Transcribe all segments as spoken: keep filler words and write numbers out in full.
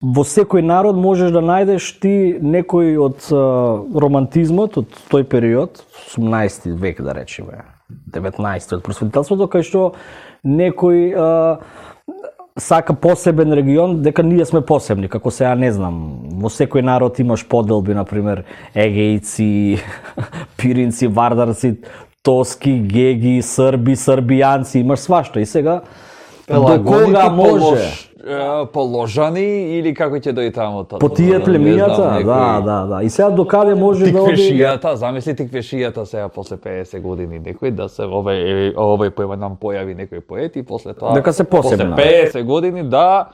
во секој народ можеш да најдеш ти некој од а, романтизмот од тој период, осумнаесети век да речеме, деветнаесети од просветителството, кај што некој а, сака посебен регион, дека ние сме посебни, како сега не знам, во секој народ имаш поделби, например, егејци, пиринци, вардарци, тоски, геги, срби, србијанци, имаш свашта и сега до кога може положани или како ќе дојде таму тоа? По тие племињата, да, да, да. И сега до каде може да оди? Тиквешијата, замисли тиквешијата сега после педесет години некој да се овој овој појма нам појави некој поет и после тоа дека се посебна. После педесет години да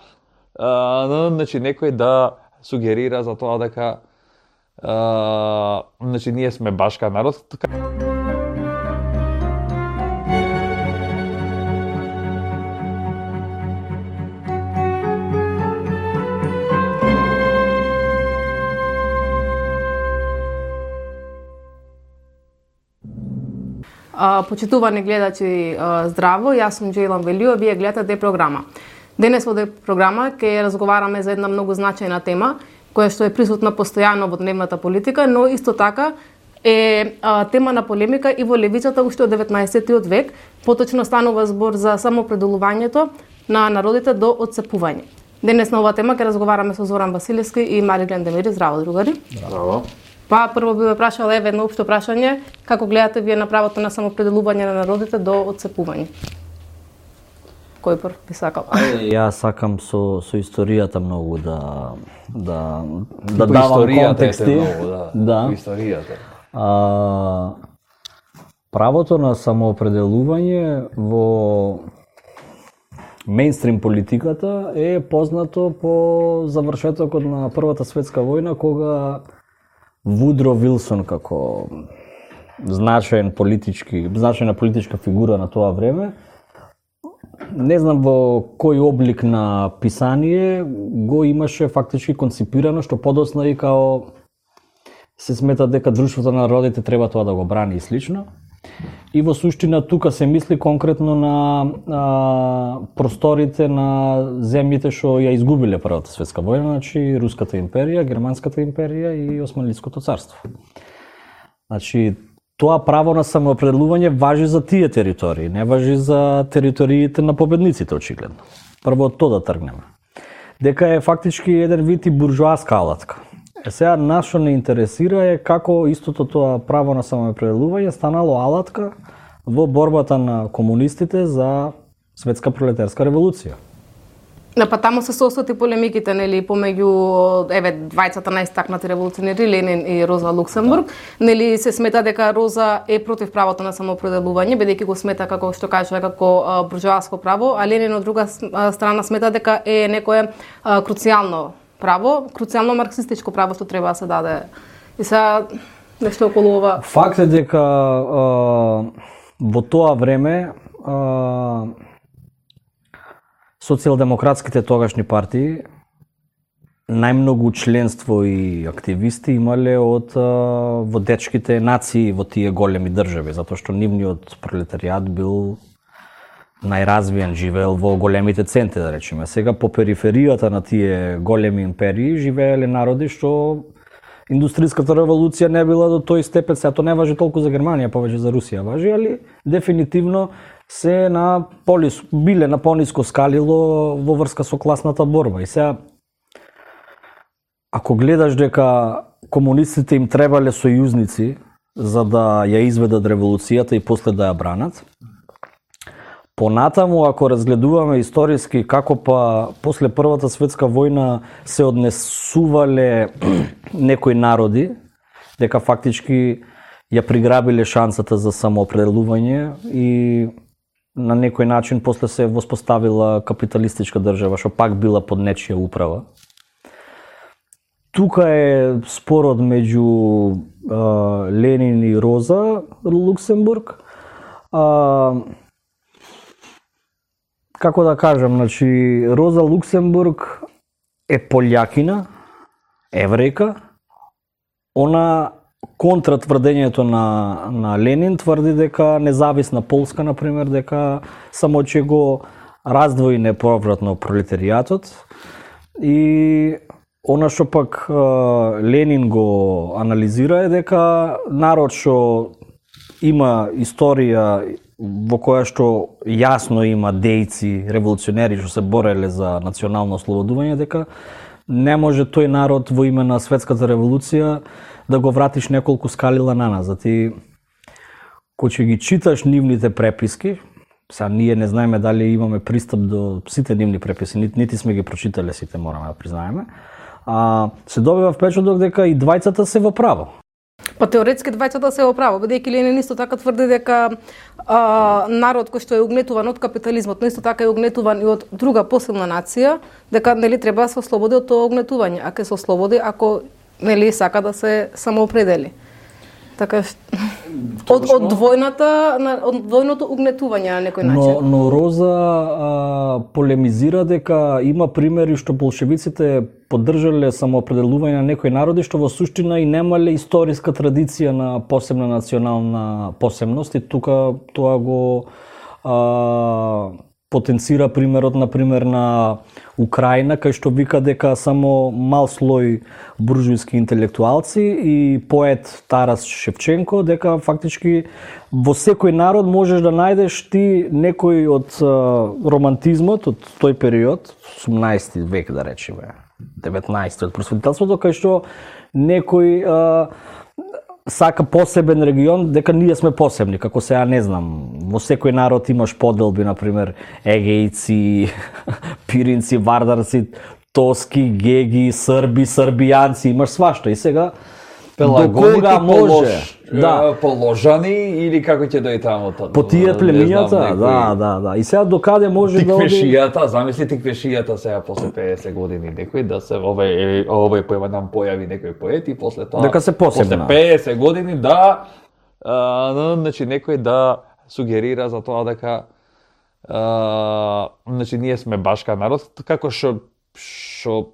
а, значи некој да сугерира за тоа дека а, значи ние сме башка народ. Uh, почитувани гледачи, uh, здраво, јас сум Джейлан Велио, вие гледате програма. Денес во програма ќе разговараме за една многу значајна тема, која што е присутна постојано во дневната политика, но исто така е uh, тема на полемика и во левицата уште од деветнаесеттиот век, поточно станува збор за самопределувањето на народите до отцепување. Денес на оваа тема ќе разговараме со Зоран Василевски и Мариглен Демири. Здраво, другари. Здраво. Па прво би ве прашала еве едно општо прашање, како гледате вие на правото на самопределување на народите до отцепување? Кој прв би сакал? Јас сакам со со историјата многу да да да давам контексти. Многу, да. Да. Историјата. А, правото на самоопределување во мејнстрим политиката е познато по завршетокот на Првата светска војна, кога Вудро Вилсон како значаен политички, значајна политичка фигура на тоа време, не знам во кој облик на писание го имаше фактички конципирано, што подоцна и као се смета дека друштвото на народите треба тоа да го брани и слично. И во суштина тука се мисли конкретно на а, просторите на земјите што ја изгубиле Првата светска војна, значи Руската империја, Германската империја и Османлиското царство. Значи тоа право на самоопределување важи за тие територии, не важи за териториите на победниците очигледно. Прво од тоа да тргнеме. Дека е фактички еден вид и буржоаска алатка. Е сега нас што не интересира е како истото тоа право на самоопределување станало алатка во борбата на комунистите за светска пролетарска револуција. Да, па таму се состои полемиките, нели, помеѓу еве двајцата најстакнати револуционери Ленин и Роза Луксембург, нели се смета дека Роза е против правото на самоопределување, бидејќи го смета како што кажа како буржоаско право, а Ленин од друга страна смета дека е некое а, круцијално право, круцијално марксистичко право што треба да се даде. И сега нешто околу ова. Факт е дека а, во тоа време а, социјалдемократските тогашни партии најмногу членство и активисти имале од а, водечките нации во тие големи држави, затоа што нивниот пролетаријат бил најразвиен, живеел во големите центри, да речеме. Сега по периферијата на тие големи империи живееле народи што индустријската револуција не била до тој степен, сега тоа не важи толку за Германија, повеќе за Русија важи, али дефинитивно се на полис, биле на пониско скалило во врска со класната борба. И сега, ако гледаш дека комунистите им требале сојузници за да ја изведат револуцијата и после да ја бранат, понатаму, ако разгледуваме историски како па после Првата светска војна се однесувале некои народи, дека фактички ја приграбиле шансата за самоопределување и на некој начин после се воспоставила капиталистичка држава, што пак била под нечија управа. Тука е спорот меѓу а, Ленин и Роза Луксембург. А, Како да кажам, значи Роза Луксембург е полјакина, еврејка. Она контра тврдењето на на Ленин тврди дека независна Полска, например, дека само ќе го раздвои неповратно пролетаријатот и она што пак Ленин го анализира е дека народ што има историја во која што јасно има дејци, револуционери што се бореле за национално ослободување, дека не може тој народ во име на светската револуција да го вратиш неколку скалила наназад. И кој ќе ги читаш нивните преписки, сега ние не знаеме дали имаме пристап до сите нивни преписи, нити, нити сме ги прочитале сите, мораме да признаеме, а се добива впечаток дека и двајцата се во право. Па теоретски двајцата се во право, бидејќи Ленин исто така тврди дека а, народ кој што е угнетуван од капитализмот, но исто така е угнетуван и од друга посилна нација, дека нели треба да се ослободи од тоа угнетување, а ќе се ослободи ако нели сака да се самоопредели. Така од од двојната од двојното угнетување на некој начин. Но, но Роза а, полемизира дека има примери што болшевиците поддржале самоопределување на некои народи што во суштина и немале историска традиција на посебна национална посебност, и тука тоа го а, потенцира примерот на пример на Украина, кај што вика дека само мал слој буржујски интелектуалци и поет Тарас Шевченко, дека фактички во секој народ можеш да најдеш ти некој од а, романтизмот од тој период, осумнаесети век да речеме, деветнаесети од просветителството, кај што некој а, сака посебен регион, дека ние сме посебни, како сега не знам, во секој народ имаш поделби, например, егејци, пиринци, вардарци, тоски, геги, срби, србијанци, имаш свашта. И сега до кога може да положани или како ќе дојде таму тоа? По тие племињата, да, да, да. И сега до каде може да оди тиквешијата, замисли тиквешијата сега после педесет години некој да се овој овој појава нам појави некој поет и после тоа дека се посебна. После педесет години да а, значи некој да сугерира за тоа дека а, значи ние сме башка народ, како што што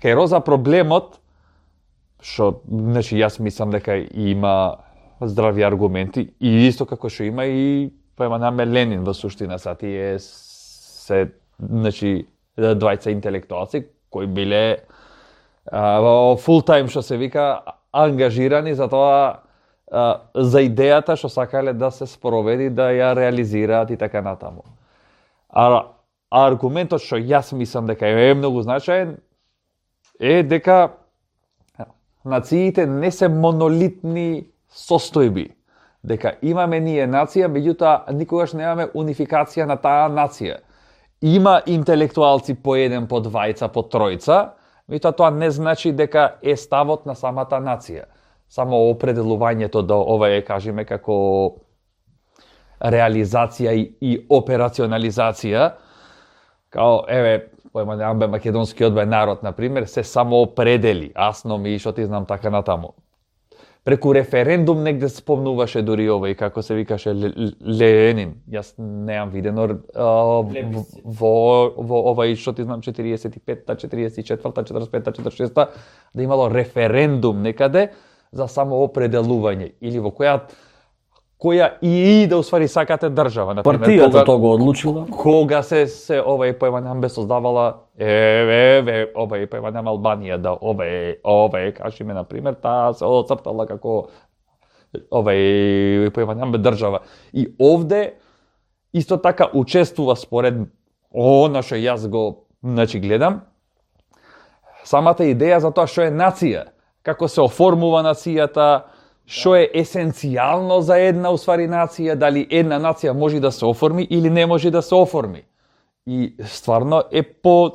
кај Роза проблемот што, значи, јас мислам дека има здрави аргументи и исто како што има и поема наме Ленин во суштина, са тие се, значи, двајца интелектуалци кои биле во фул тајм што се вика ангажирани за тоа, а, за идејата што сакале да се спроведи, да ја реализираат и така натаму. А, а аргументот што јас мислам дека е многу значаен е дека нациите не се монолитни состојби, дека имаме ние нација, меѓутоа никогаш немаме унификација на таа нација. Има интелектуалци по еден, по двајца, по тројца, меѓутоа тоа не значи дека е ставот на самата нација. Само определувањето да ова е, кажеме, како реализација и, и операционализација, као, еве, поема неамбе македонскиот бе народ, например, се само определи, асно ми, што ти знам така натаму. Преку референдум негде спомнуваше дури овој, како се викаше Ленин. Јас неам видено а, во, во овој, што ти знам, четириесет и петта, четириесет и четврта, четрдесет и петта, четрдесет и шеста, да имало референдум некаде за самоопределување, или во која која и да усвари сакате држава, например, партијата тоа го одлучила. Кога се се овај поема намбе создавала еве еве овај поема нам Албанија, да овај овај кажеме например таа се оцртала како овај поема намбе држава. И овде исто така учествува според она што јас го, значи, гледам, самата идеја за тоа што е нација, како се оформува нацијата, што е есенцијално за една уствари нација, дали една нација може да се оформи или не може да се оформи. И стварно е по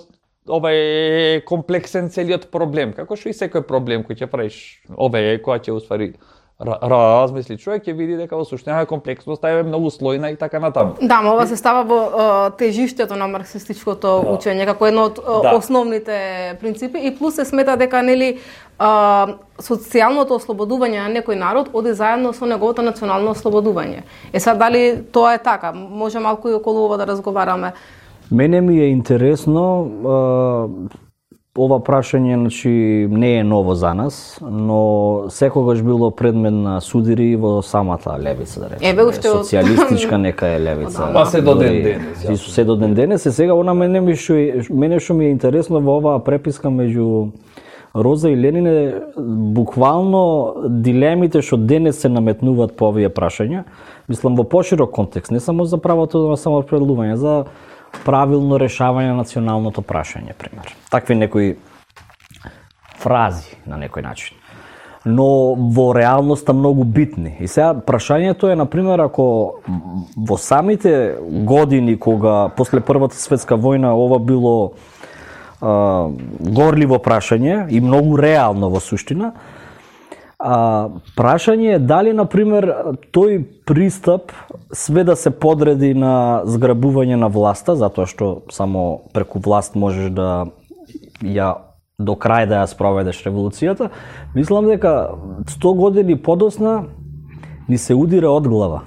овај комплексен целиот проблем, како што и секој проблем кој ќе правиш, овај која ќе уствари размисли човек, ќе види дека во суштина комплексноста е многу слојна и така натаму. Да, но ова се става во uh, тежиштето на марксистичкото да. учење како едно од uh, да. основните принципи, и плюс се смета дека нели uh, социјалното ослободување на некој народ оди заедно со неговото национално ослободување. Е сад дали тоа е така? Може малку и околу ова да разговараме. Мене ми е интересно, uh, ова прашање, значи, не е ново за нас, но секогаш било предмет на судири во самата левица, да речеме. Еве уште од социјалистичка нека е левица. Па се до ден денес. И се до ден денес, и сега она мене ми што мене што ми е интересно во оваа преписка меѓу Роза и Ленин е буквално дилемите што денес се наметнуваат по овие прашања, мислам во поширок контекст, не само за правото на самоопределување, за правилно решавање на националното прашање, пример. Такви некои фрази на некој начин. Но во реалноста многу битни. И сега прашањето е, например, ако во самите години кога после Првата светска војна ова било а, горливо прашање и многу реално во суштина, А, прашање е дали, например, тој пристап све да се подреди на зграбување на власта, затоа што само преку власт можеш да ја до крај да ја спроведеш револуцијата, мислам дека сто години подосна ни се удира од глава.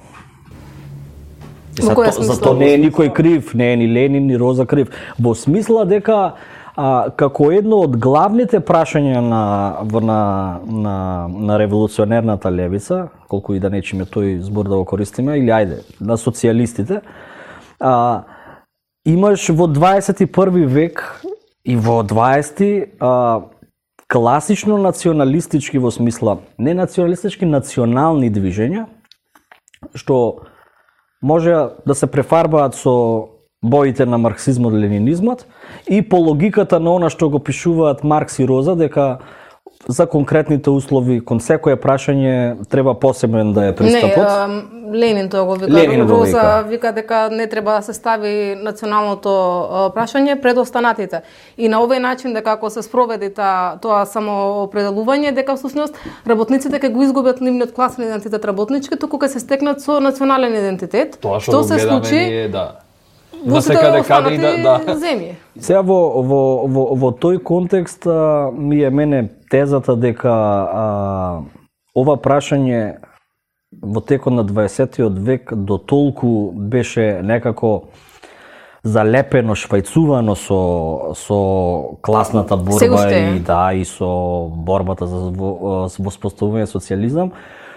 Зато, зато не е никој крив, не е ни Ленин, ни Роза крив. Во смисла дека А, како едно од главните прашања на, на, на, на револуционерната левица, колку и да нечиме тој збор да го користиме, или ајде, на социјалистите, а, имаш во дваесет и први век и во дваесети а, класично националистички во смисла, не националистички, национални движења, што може да се префарбаат со боите на марксизмот, ленинизмот и по логиката на она што го пишуваат Маркс и Роза, дека за конкретните услови, кон секое прашање треба посебен да е пристапот. Не, Ленин тоа го вика, Ленин го Роза вика. вика дека не треба да се стави националното прашање пред останатите. И на овој начин дека ако се спроведи та, тоа самоопределување, дека всушност работниците ќе го изгубат нивниот класен идентитет работнички, туку ќе се стекнат со национален идентитет. Тоа што го се гледаме случи ние, да. во сите останати да, да. земји. Сега во, во, во, во тој контекст а, ми е мене тезата дека а, ова прашање во текот на дваесеттиот век до толку беше некако залепено, швајцувано со со класната борба и да и со борбата за воспоставување социјализам,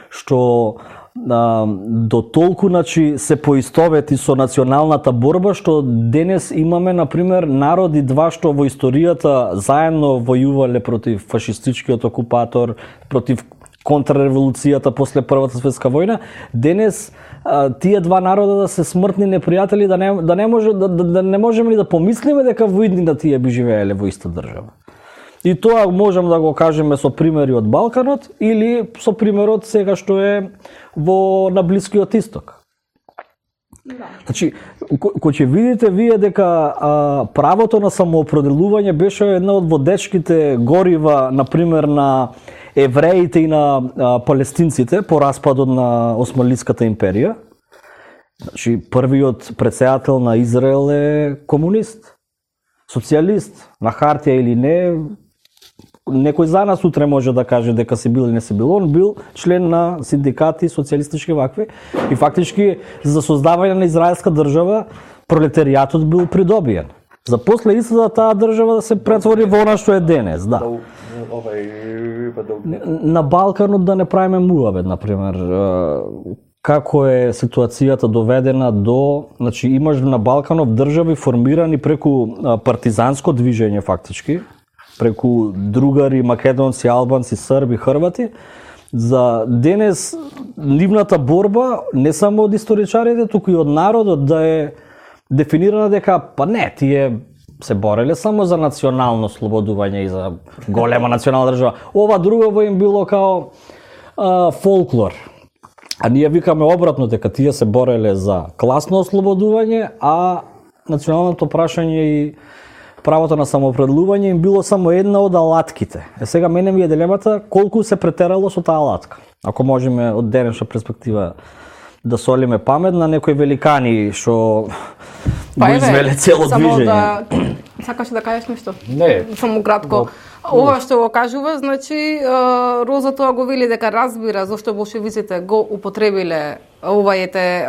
што а, до толку, значи, се поистовети со националната борба, што денес имаме, например, народи два што во историјата заедно војувале против фашистичкиот окупатор, против контрреволуцијата после Првата светска војна. Денес а, тие два народа да се смртни непријатели, да не, да не, може, да, да, да не можеме ли да помислиме дека во иднина тие би живееле во иста држава. И тоа можем да го кажеме со примери од Балканот или со примерот сега што е во на Блискиот Исток. Да. Значи, кој ќе видите вие дека а, правото на самоопределување беше една од водечките горива, например, на евреите и на а, палестинците по распадот на Османлиската империја. Значи, првиот претседател на Израел е комунист, социјалист, на хартија или не. Некој за нас утре може да каже дека се бил или не се бил. Он бил член на синдикати, социјалистички вакви. И фактички за создавање на израелска држава пролетаријатот бил придобиен. За после истата таа држава да се претвори во она што е денес, да. На Балканот да не правиме муабет, например, како е ситуацијата доведена до, значи имаш на Балканот држави формирани преку партизанско движење фактички, преку другари, македонци, албанци, срби, хрвати. За денес нивната борба не само од историчарите, туку и од народот да е дефинирана дека па не, тие се бореле само за национално слободување и за голема национална држава. Ова друго им било као а, фолклор. А ние викаме обратно дека тие се бореле за класно ослободување, а националното прашање и правото на самоопределување им било само една од алатките. Е сега мене ми е дилемата колку се претерало со таа алатка. Ако можеме од денешна перспектива да солиме памет на некои великани што па, го извеле цело движење. Да... Сакаш да кажеш нешто? Не. Само кратко. Ова што го кажува, значи Роза тоа го вели дека разбира зошто болшевиците го употребиле ова ете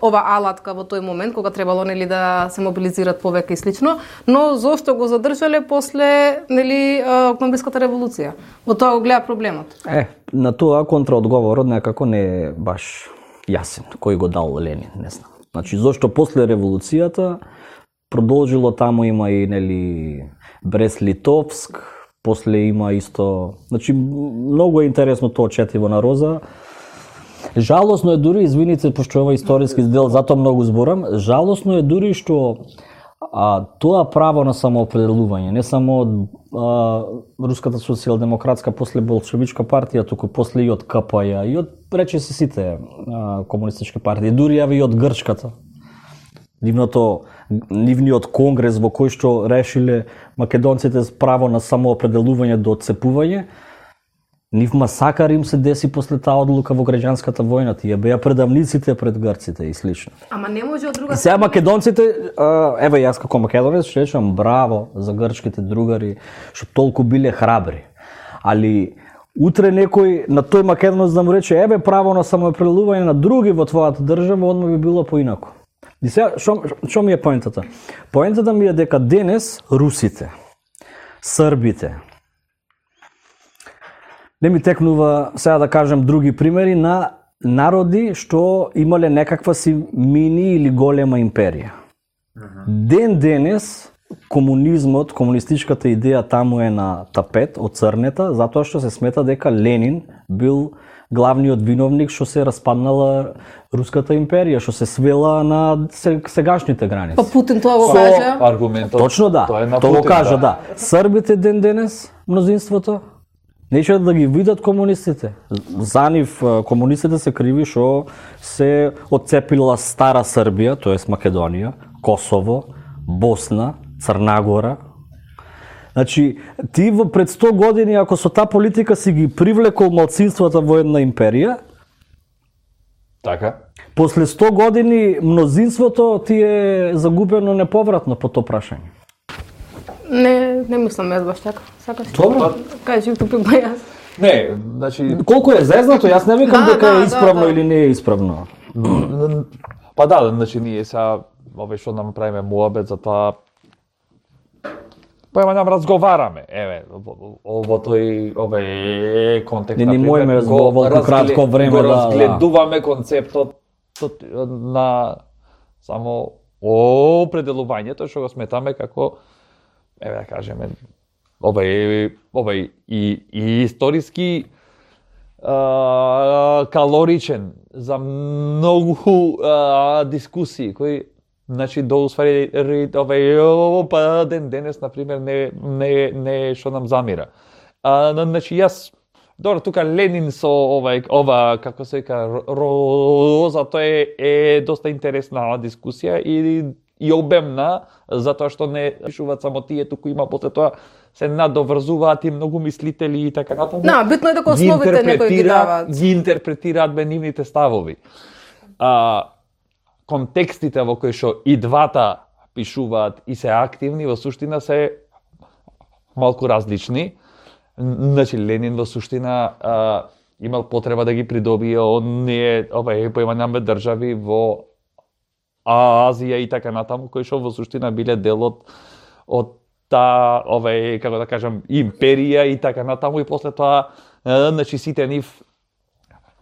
ова алатка во тој момент кога требало нели да се мобилизираат повеќе и слично, но зошто го задржале после нели октомвриската револуција? Во тоа го гледа проблемот. Е, на тоа контраодговорот некако не е баш јасен кој го дал Ленин, не знам. Значи зошто после револуцијата продолжило таму има и нели Брест-Литовск, после има исто, значи многу е интересно тоа четиво на Роза. Жалосно е дури, извините, пошто ова историски дел, затоа многу зборам, жалосно е дури што а, тоа право на самоопределување, не само од а, Руската социјалдемократска после болшевичка партија, туку после и од Ка П Ј, и од рече се сите а, комунистички партии, дури и од грчката. Нивното, нивниот конгрес во кој што решиле македонците право на самоопределување до отцепување, нив масакар им се деси после таа одлука во граѓанската војна, тие беа предавниците пред грците и слично. Ама не може од друга страна. Сега македонците, еве јас како македонец што речам браво за грчките другари што толку биле храбри. Али утре некој на тој македонец да му рече еве право на самоопределување на други во твојата држава, одма би било поинаку. И сега што што ми е поентата? Поентата ми е дека денес русите, србите, не ми текнува сега да кажем други примери на народи што имале некаква си мини или голема империја. Ден денес комунизмот, комунистичката идеја таму е на тапет, оцрнета, затоа што се смета дека Ленин бил главниот виновник што се распаднала Руската империја, што се свела на сегашните граници. Па Путин тоа го Со кажа. аргументот. Точно да. Тоа е на Тоа Путин, го кажа, да. да. Србите ден денес, мнозинството, нече да ги видат комунистите. За нив комунистите се криви што се отцепила стара Србија, тоест Македонија, Косово, Босна, Црнагора. Значи, ти во пред сто години, ако со таа политика си ги привлекол малцинствата во една империја, Така. после сто години мнозинството ти е загубено неповратно по тоа прашање. Не, не мислам јас баш така. Сакаш? Добро. Кажи тупи па јас. Не, значи Колку е зезнато, јас не викам Да, дека да, е исправно да, да. или не е исправно. па да, значи ние сега овој што нам правиме муабет за тоа па нам разговараме, еве, во тој овој контекст Не ни например, мојме го во оволку разглед- кратко време го да- да. разгледуваме концептот тот- на само определувањето што го сметаме како еве да кажеме овој овој и, и историски а, калоричен за многу а, дискусии кои значи до усвари овој па ден денес на пример не не не што нам замира. А значи јас добро тука Ленин со овај ова како се вика Роза, тоа е, е доста интересна дискусија и и обемна затоа што не пишуваат само тие, туку има после тоа се надоврзуваат и многу мислители и така натаму. Да, битно е дека Ги основите некои ги интерпретира- даваат. Ги интерпретираат бе нивните ставови. А, контекстите во кои што и двата пишуваат и се активни во суштина се малку различни. Значи Ленин во суштина а, имал потреба да ги придобие оние овај поимањаме држави во Азија и така натаму кои што во суштина биле дел од од таа овај како да кажам империја и така натаму и после тоа а, значи сите нив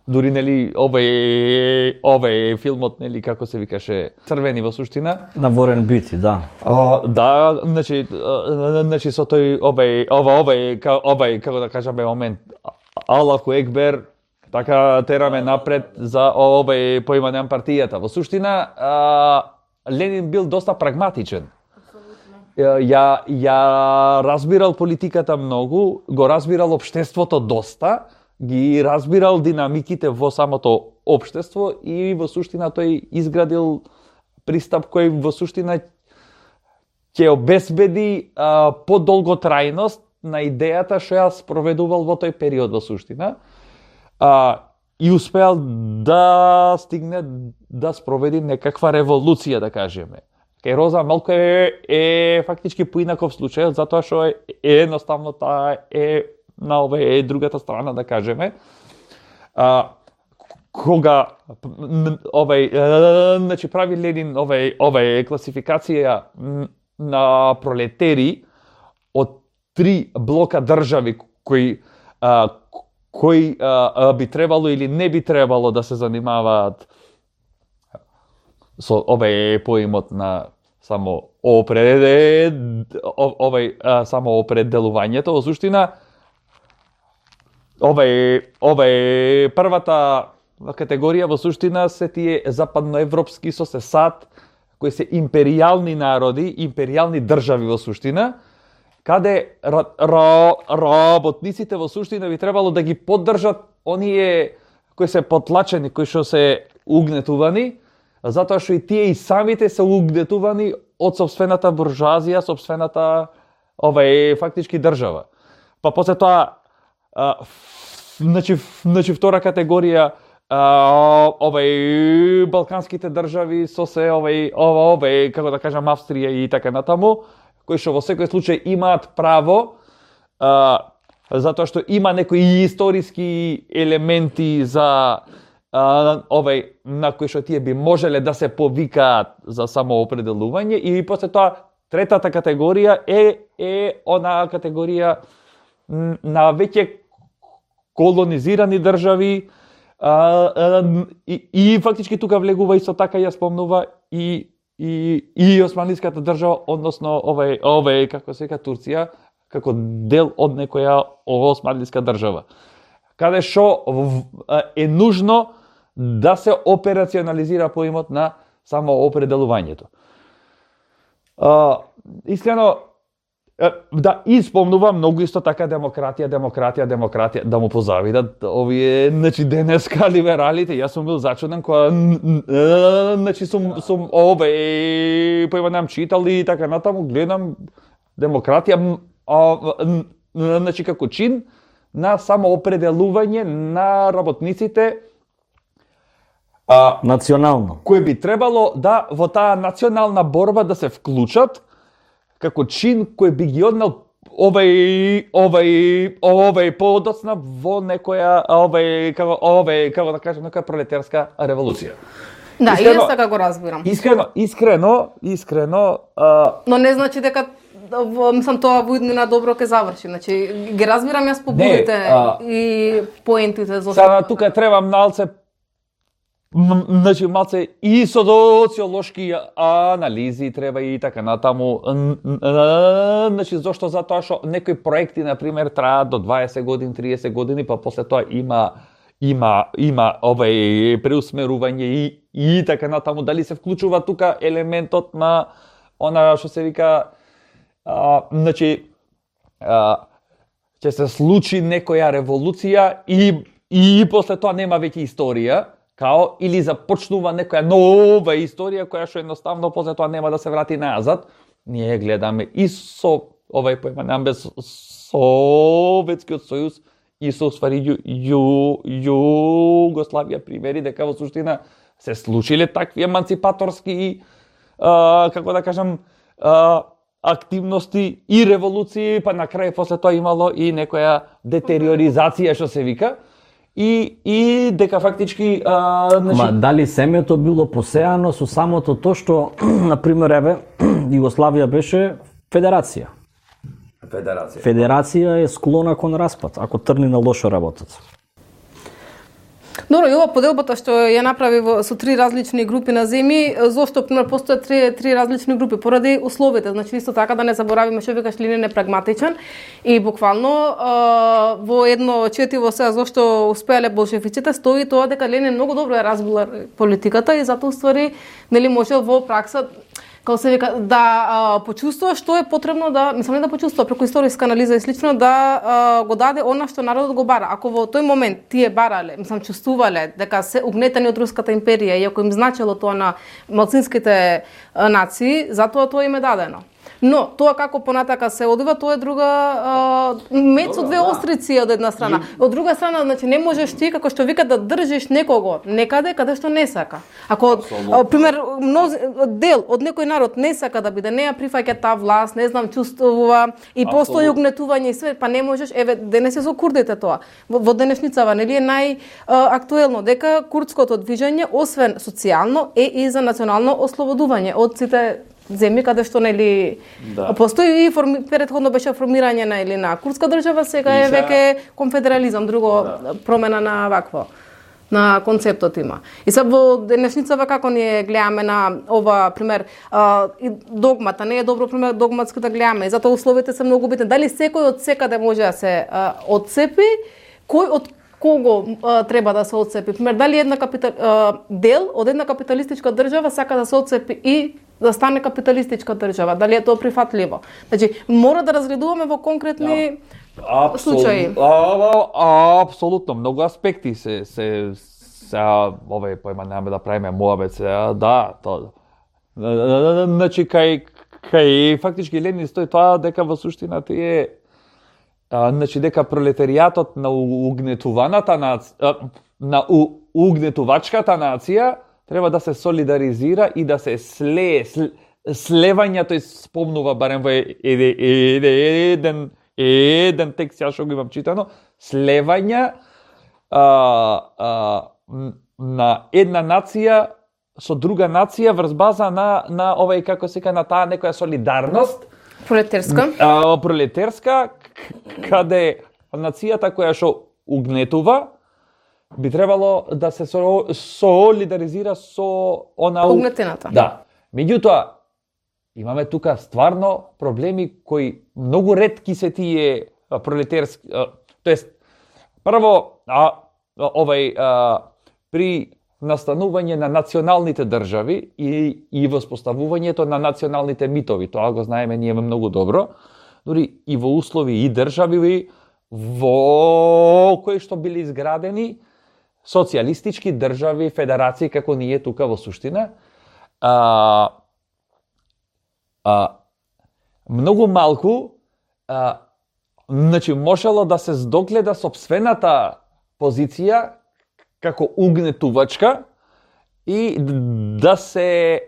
дури нели овај овај филмот нели како се викаше Црвени во суштина На Ворен Бити, да. а, да значи а, значи со тој овај ова овај ка- овај како да кажаме момент Аллаху екбер така тераме напред за овај поимањам партијата. Во суштина а, Ленин бил доста прагматичен. Ја ја разбирал политиката многу, го разбирал општеството доста, ги разбирал динамиките во самото општество и во суштина тој изградил пристап кој во суштина ќе обезбеди а, подолготрајност на идејата што ја спроведувал во тој период во суштина. А, и успеал да стигне да спроведи некаква револуција, да кажеме. Кај Роза малку е, е фактички поинаков случај, затоа што е, е едноставно таа е на овај е другата страна, да кажеме. А, кога овај значи прави Ленин овај овај класификација на пролетери од три блока држави кои а, кои а, би требало или не би требало да се занимаваат со овај поимот на само опред овај а, само определувањето. Во суштина овај овај првата категорија во суштина се тие западноевропски со се САД, кои се империјални народи, империјални држави во суштина, каде ра, ра, работниците во суштина би требало да ги поддржат оние кои се потлачени, кои што се угнетувани, затоа што и тие и самите се угнетувани од сопствената буржуазија, сопствената овај фактички држава. Па после тоа а, значи значи втора категорија а, овај балканските држави со се овај ова овај како да кажам Австрија и така натаму, кои што во секој случај имаат право а, затоа што има некои историски елементи за а, овај на кои што тие би можеле да се повикаат за самоопределување, и после тоа третата категорија е е она категорија на веќе колонизирани држави, а, а, и, и фактички тука влегува исто така ја спомнува и и и османлиската држава, односно овај овај како се вика Турција, како дел од некоја османлиска држава, каде што е нужно да се операционализира поимот на самоопределувањето. А, искрено да испомнува многу исто така демократија, демократија, демократија, да му позавидат овие, значи денеска либералите. Јас сум бил зачуден кога значи сум сум овај поимам читал и така натаму, гледам демократија, а, значи како чин на самоопределување на работниците, а, национално, кои би требало да во таа национална борба да се вклучат како чин кој би ги однел овај овај овај подоцна во некоја овај како овај како да кажам некоја пролетарска револуција. Да, и јас така го разбирам. Искрено, искрено, искрено, а... но не значи дека мислам тоа во иднина добро ќе заврши. Значи ги разбирам јас побудите а... и поентите зошто. Сега тука треба малце значи малце и социолошки анализи треба и така натаму. Значи зошто? Затоа што некои проекти на пример траат до дваесет години, триесет години, па после тоа има има има овај преусмерување и и така натаму. Дали се вклучува тука елементот на она што се вика а, значи а, ќе се случи некоја револуција и и после тоа нема веќе историја, као или започнува некоја нова историја која што едноставно после тоа нема да се врати назад. Ние гледаме и со овај поимам без Советскиот сојуз и со ствари ју, ју, Југославија примери дека во суштина се случиле такви еманципаторски а, како да кажам а, активности и револуции, па на крај после тоа имало и некоја детериоризација што се вика. И, и дека фактички а, значи... Ма дали семето било посеано со самото тоа што на пример еве Југославија беше федерација. Федерација. Федерација е склона кон распад ако тргне на лошо работат. Добро, и ова поделбата што ја направи во, со три различни групи на земји, зошто пример постојат три, три различни групи поради условите. Значи исто така да не заборавиме што викаш Ленин е прагматичен и буквално а, во едно четиво сега зошто успеале болшевиците стои тоа дека Ленин многу добро ја разбила политиката и затоа уствари нели можел во пракса како се вика, да а, почувствува што е потребно да, мислам не да почувствува, преку историска анализа и слично, да а, го даде она што народот го бара. Ако во тој момент тие барале, мислам чувствувале дека се угнетени од Руската империја и ако им значело тоа на малцинските а, нации, затоа тоа им е дадено. Но тоа како понатака се одива, тоа е друга а, мед со две острици од една страна. Од друга страна, значи не можеш ти како што вика да држиш некого некаде каде што не сака. Ако а, пример мноз, дел од некој народ не сака да биде, не ја прифаќа таа власт, не знам, чувствува и постои угнетување и све, па не можеш, еве денес е со курдите тоа. Во, во денешницава нели е најактуелно дека курдското движење освен социјално е и за национално ослободување од сите земји каде што нели да. Постои и форми, претходно беше формирање на или на курдска држава, сега е веќе конфедерализам, друго да. Промена на вакво на концептот има. И сега во денешницава како ние гледаме на ова пример а, и догмата не е добро пример догматски да гледаме, и затоа условите се многу битни. Дали секој од секаде може да се а, отцепи, кој од кого а, треба да се отцепи? Пример, дали една капитал, а, дел од една капиталистичка држава сака да се отцепи и да стане капиталистичка држава? Дали е тоа прифатливо? Значи, мора да разгледуваме во конкретни Абсолютно, случаи. А, а, апсолутно, многу аспекти се се се овој појма немаме да правиме муабет се, да, тоа. Значи кај кај фактички Ленин стои тоа дека во суштина тие А, значи дека пролетаријатот на угнетуваната нација, на у, угнетувачката нација треба да се солидаризира и да се слее, слевање, тој спомнува барем во еден еден текст ја што го имам читано, слевање а, а, на една нација со друга нација врз база на на овај како се ка на таа некоја солидарност пролетерска, а, пролетерска каде нацијата која што угнетува би требало да се солидаризира со она угнетената. Да. Меѓутоа имаме тука стварно проблеми кои многу ретки се тие пролетерски, тоест прво а, овај а, при настанување на националните држави и и воспоставувањето на националните митови, тоа го знаеме ние многу добро. Дори и во услови и држави во кои што били изградени социјалистички држави, федерации како ние тука во суштина, а, а, многу малку а, значи можело да се здогледа сопствената позиција како угнетувачка и да се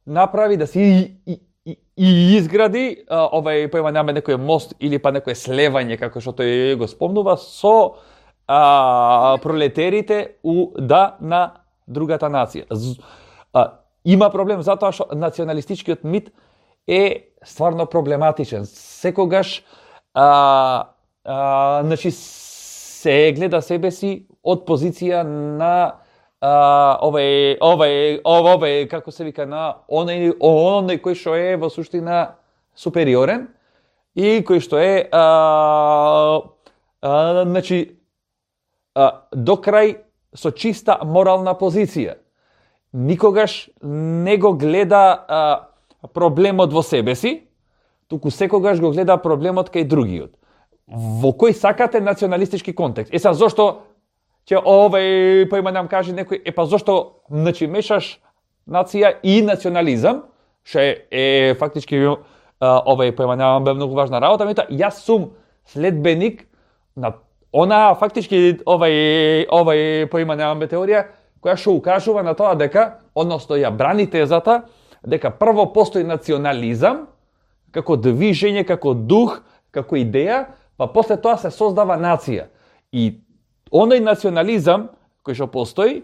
направи, да се и, и, и изгради а, овај појма нема некој мост или па некој слевање, како што тој го спомнува, со а, пролетерите у да на другата нација. А, има проблем затоа што националистичкиот мит е стварно проблематичен. Секогаш а, а, значи се гледа себе си од позиција на а, овај овај овај како се вика на оној оној кој што е во суштина супериорен и кој што е а, а, значи а, до крај со чиста морална позиција. Никогаш не го гледа а, проблемот во себе си, туку секогаш го гледа проблемот кај другиот. Во кој сакате националистички контекст. Е са зошто ќе овај појма нам каже некој, е па зошто значи мешаш нација и национализам, што е, е фактички овај појма нам бе многу важна работа, мета јас сум следбеник на она фактички овај овај појма нам бе теорија која што укажува на тоа дека, односно ја брани тезата дека прво постои национализам како движење, како дух, како идеја, па после тоа се создава нација. И оној национализам кој што постои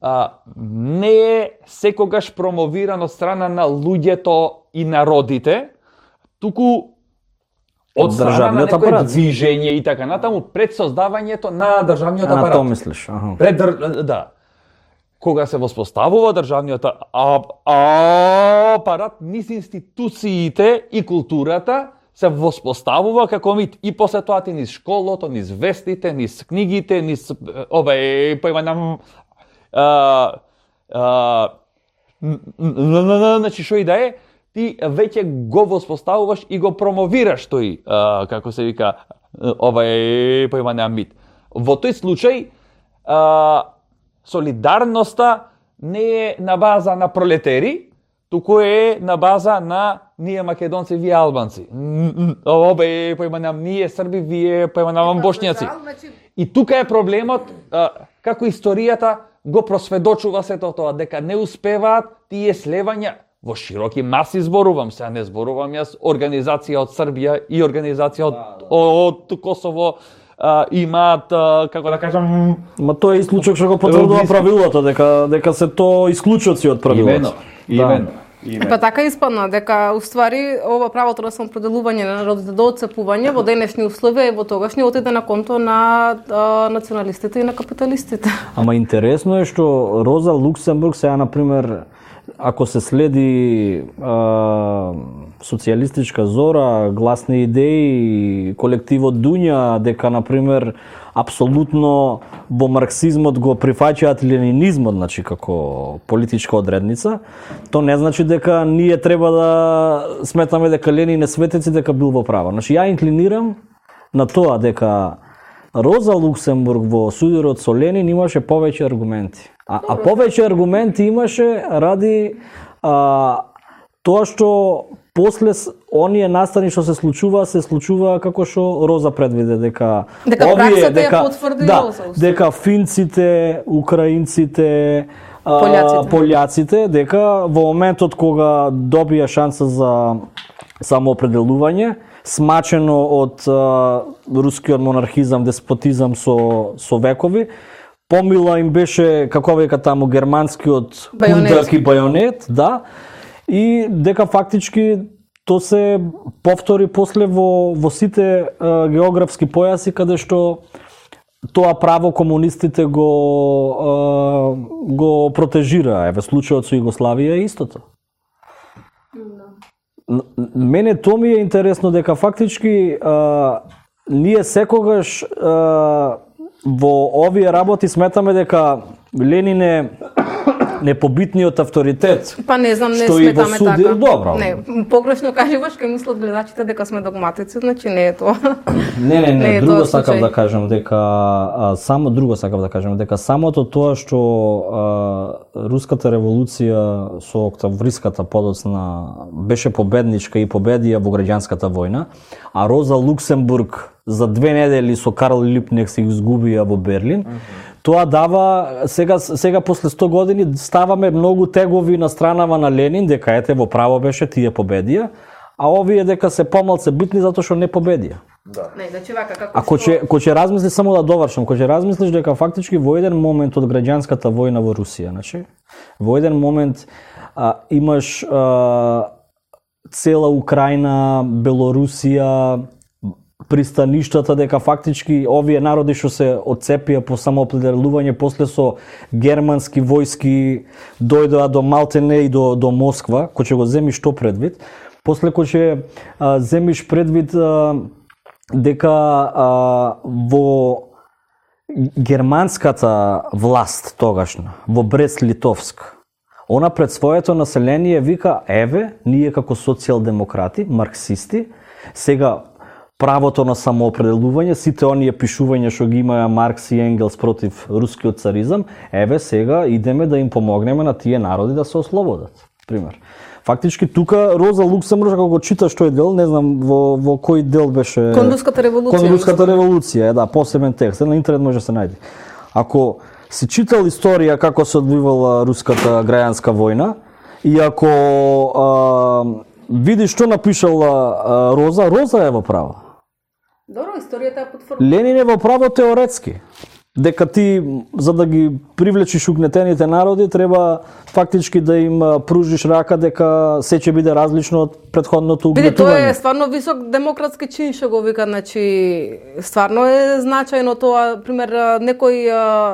а, не е секогаш промовиран од страна на луѓето и народите, туку од страна на некој движење и така натаму пред создавањето на државниот апарат. На тоа мислиш, аха. Пред др... да. Кога се воспоставува државниот апарат, низ институциите и културата се воспоставува како мит и после тоа ти низ школото, низ вестите, низ книгите, низ овај појма нам а, а, значи што и да е, ти веќе го воспоставуваш и го промовираш тој, а, како се вика, овај појма нам мит. Во тој случај а, солидарноста не е на база на пролетери, туку е на база на ние македонци, вие албанци. Обе поиманам ние срби, вие поиманам бошњаци. И тука е проблемот, а, како историјата го просведочува сето тоа, дека не успеваат тие слевања во широки маси, зборувам, сега не зборувам јас, организација од Србија и организација од, од, од Косово, а, имаат, а, како да кажам... Ма тоа е исклучок што го потврдува правилото, дека дека се тоа исклучоци од правилото. Имено, имено. Па така испадна дека уствари ова правото на самопределување на народите до отцепување во денешни услови и во тогашни отиде на конто на а, националистите и на капиталистите. Ама интересно е што Роза Луксембург сега на пример ако се следи а, социјалистичка зора, гласни идеи, колективот Дуња, дека на пример апсолутно во марксизмот го прифаќаат ленинизмот, значи како политичка одредница, то не значи дека ние треба да сметаме дека Ленин е светец и дека бил во право. Значи ја инклинирам на тоа дека Роза Луксембург во судирот со Ленин имаше повеќе аргументи. А, а повеќе аргументи имаше ради а, тоа што после оние настани што се случува, се случува како што Роза предвиде, дека дека овие, дека, ја потврди да, Роза. дека финците, украинците, пољаците. пољаците, дека во моментот кога добија шанса за самоопределување, смачено од а, рускиот монархизам, деспотизам со, со векови, помила им беше, како века таму, германскиот кундак и бајонет, да, и дека фактички то се повтори после во, во сите а, географски појаси, каде што тоа право комунистите го, а, го протежира. Еве, случајот со Југославија е истото. Мене тоа ми е интересно дека фактички а, ние секогаш а, во овие работи сметаме дека Ленин е непобитниот авторитет. Па не знам, не што сметаме суди, така. Добро. Не, погрешно кажуваш, кај мислат гледачите дека сме догматици, значи не е тоа. Не, не, не, не е друго тоа сакав случај. да кажам дека а, само друго сакав да кажам дека самото тоа што а, руската револуција со октавриската подоцна беше победничка и победија во граѓанската војна, а Роза Луксембург за две недели со Карл Липнек се изгубија во Берлин. Mm-hmm. Тоа дава, сега, сега после сто години ставаме многу тегови на странава на Ленин, дека ете во право беше, тие победија, а овие дека се помалце битни затоа што не победија. Да. Не, значи вака како Ако ќе ко ќе размислиш само да довршам, ако ќе размислиш дека фактички во еден момент од граѓанската војна во Русија, значи, во еден момент а, имаш а, цела Украина, Белорусија, пристаништата, дека фактички овие народи што се отцепија по самоопределување после со германски војски дојдоа до Малтене и до до Москва, кој ќе го земиш што предвид, после кој ќе а, земиш предвид а, дека а, во германската власт тогашна, во Брест-Литовск, она пред своето население вика, еве, ние како социјалдемократи, марксисти, сега правото на самоопределување, сите оние пишувања што ги имаа Маркс и Енгелс против рускиот царизам, еве сега идеме да им помогнеме на тие народи да се ослободат, пример. Фактички тука Роза Луксембург, ако го читаш тој дел, не знам во, во кој дел беше... Кон руската револуција. Кон руската револуција, е, да, посебен текст, на интернет може да се најде. Ако си читал историја како се одвивала руската граѓанска војна, и ако а, видиш што напишала а, Роза, Роза е во право. Добро, историјата е потврдува. Ленин е во право теоретски. Дека ти, за да ги привлечиш угнетените народи, треба фактички да им пружиш рака дека се ќе биде различно од претходното Биде, тоа угнетување. е стварно висок демократски чин што го вика, значи стварно е значајно тоа, пример некој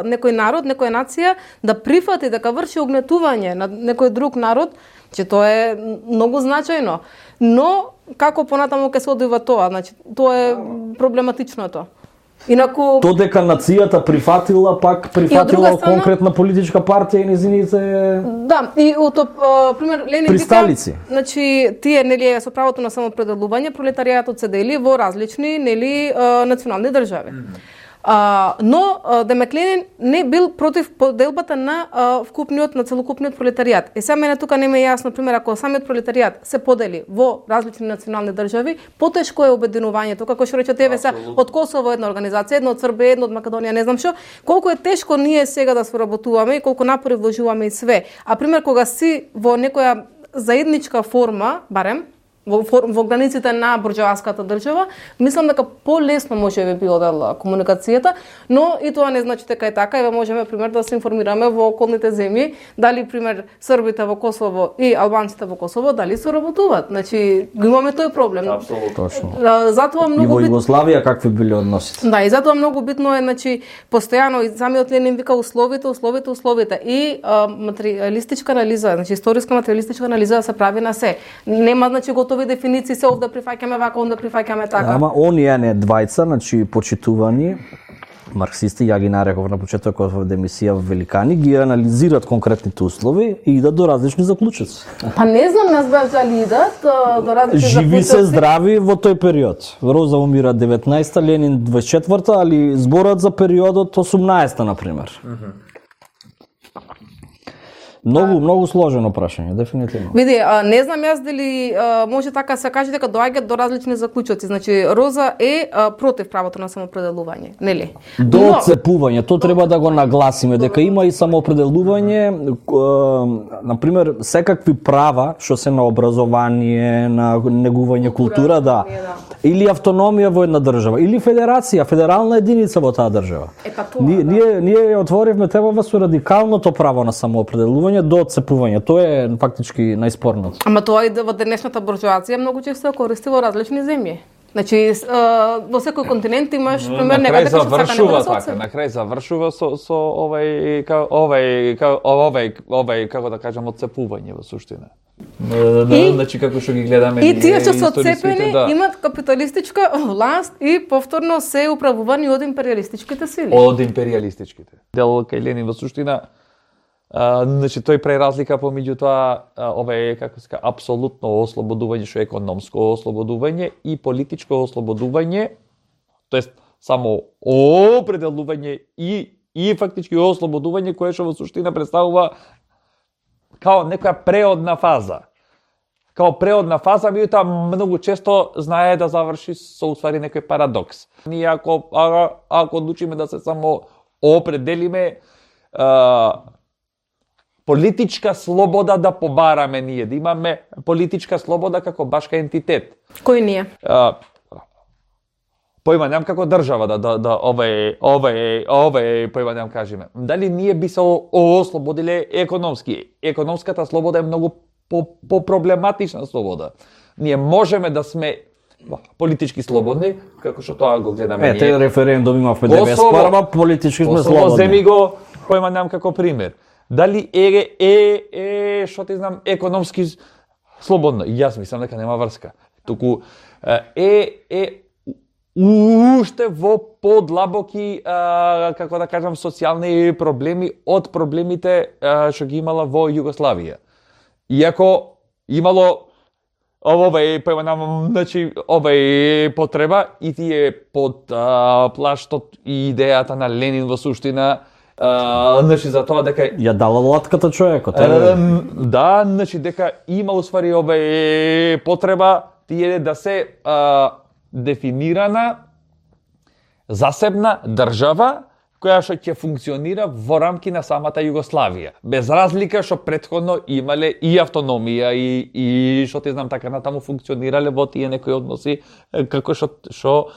некој народ, некоја нација да прифати дека врши угнетување на некој друг народ, че тоа е многу значајно. Но како понатаму ќе се одвива тоа, значи тоа е проблематично тоа. Инаку То дека нацијата прифатила, пак прифатила страна, конкретна политичка партија и незините... Да, и ото пример Ленин Присталици. вика, значи тие нели со правото на самопределување пролетаријатот се дели во различни нели национални држави. А, но а, Демек Ленин не бил против поделбата на а, вкупниот, на целокупниот пролетаријат. Е сега мене тука не ме е јасно, пример, ако самиот пролетаријат се подели во различни национални држави, потешко е обединувањето, како што рече тебе се од Косово една организација, една од Србија, една од Македонија, не знам што, колку е тешко ние сега да соработуваме и колку напори вложуваме и све. А пример кога си во некоја заедничка форма, барем во, во границите на бурџоаската држава, мислам дека полесно може би би одела комуникацијата, но и тоа не значи дека е така, еве можеме пример да се информираме во околните земји, дали пример србите во Косово и албанците во Косово дали соработуваат. Значи го имаме тој проблем. Апсолутно точно. Затоа многу и во бит... Југославија какви биле односите? Да, и затоа многу битно е, значи, постојано и самиот Ленин вика условите, условите, условите и а, материјалистичка анализа, значи историска материјалистичка анализа да се прави на се. Нема, значи, готови дефиниции, се овде прифаќаме вака, онде прифаќаме така. Ама оние не двајца, значи почитувани марксисти, ја ги нареков на почетокот во емисија Великани, ги анализираат конкретните услови и идат до различни заклучоци. Па не знам, не знам дали идат до различни заклучоци. Живи се здрави во тој период. Роза умира деветнаесета, Ленин дваесет и четврта, али зборат за периодот осумнаесета, например. Многу, многу сложено прашање, дефинитивно. Види, а, не знам јас дали а, може така се каже дека доаѓаат до различни заклучоци. Значи, Роза е а, против правото на самоопределување, нели? До Но... отцепување, тоа треба да го нагласиме, дека има и самоопределување, на пример, секакви права, што се на образование, на негување култура, да. Или автономија во една држава, или федерација, федерална единица во таа држава. Е, па тоа, ние, да. ние, ние отворивме темава со радикалното право на самоопределување до отцепување. Тоа е фактички најспорното. Ама тоа и во денешната буржоација многу често се користи во различни земји. Значи, во секој континент имаш пример некаде кај завршува така, на крај завршува со со овај овај овај овај како да кажам отцепување во суштина. И, значи како што ги гледаме и тие што се отцепени да. имат капиталистичка власт и повторно се управувани од империалистичките сили. Од империалистичките. Дел кај Ленин во суштина Uh, значи тој преразлика помеѓу тоа uh, ова како се кажа апсолутно ослободување, што е економско ослободување и политичко ослободување, тоест само определување и и фактички ослободување кое што во суштина представува као некоја преодна фаза. Као преодна фаза, меѓутоа многу често знае да заврши со усвари некој парадокс. Ние ако а, ако одлучиме да се само определиме uh, политичка слобода да побараме ние, да имаме политичка слобода како башка ентитет. Кој ние? А, појма нем како држава да да, да овај овај овај појма нем кажеме. Дали ние би се ослободиле економски? Економската слобода е многу по, по проблематична слобода. Ние можеме да сме политички слободни, како што тоа го гледаме ние. Ете, референдум имавме деветдесет и прва, политички сме слободни. Косово земи го, појма нем како пример. Дали е е е што ти знам економски слободно? Јас мислам дека нема врска. Туку е е уште во подлабоки а, како да кажам социјални проблеми од проблемите а, што ги имала во Југославија. Иако имало овој појманам, значи овај потреба и тие под а, плаштот и идејата на Ленин во суштина. Uh, значи за тоа дека ја дала латката човекот. Uh, да, значи дека има усвари овај потреба тие да се uh, дефинирана засебна држава која што ќе функционира во рамки на самата Југославија, без разлика што претходно имале и автономија и и што ти знам така натаму функционирале во тие некои односи како што што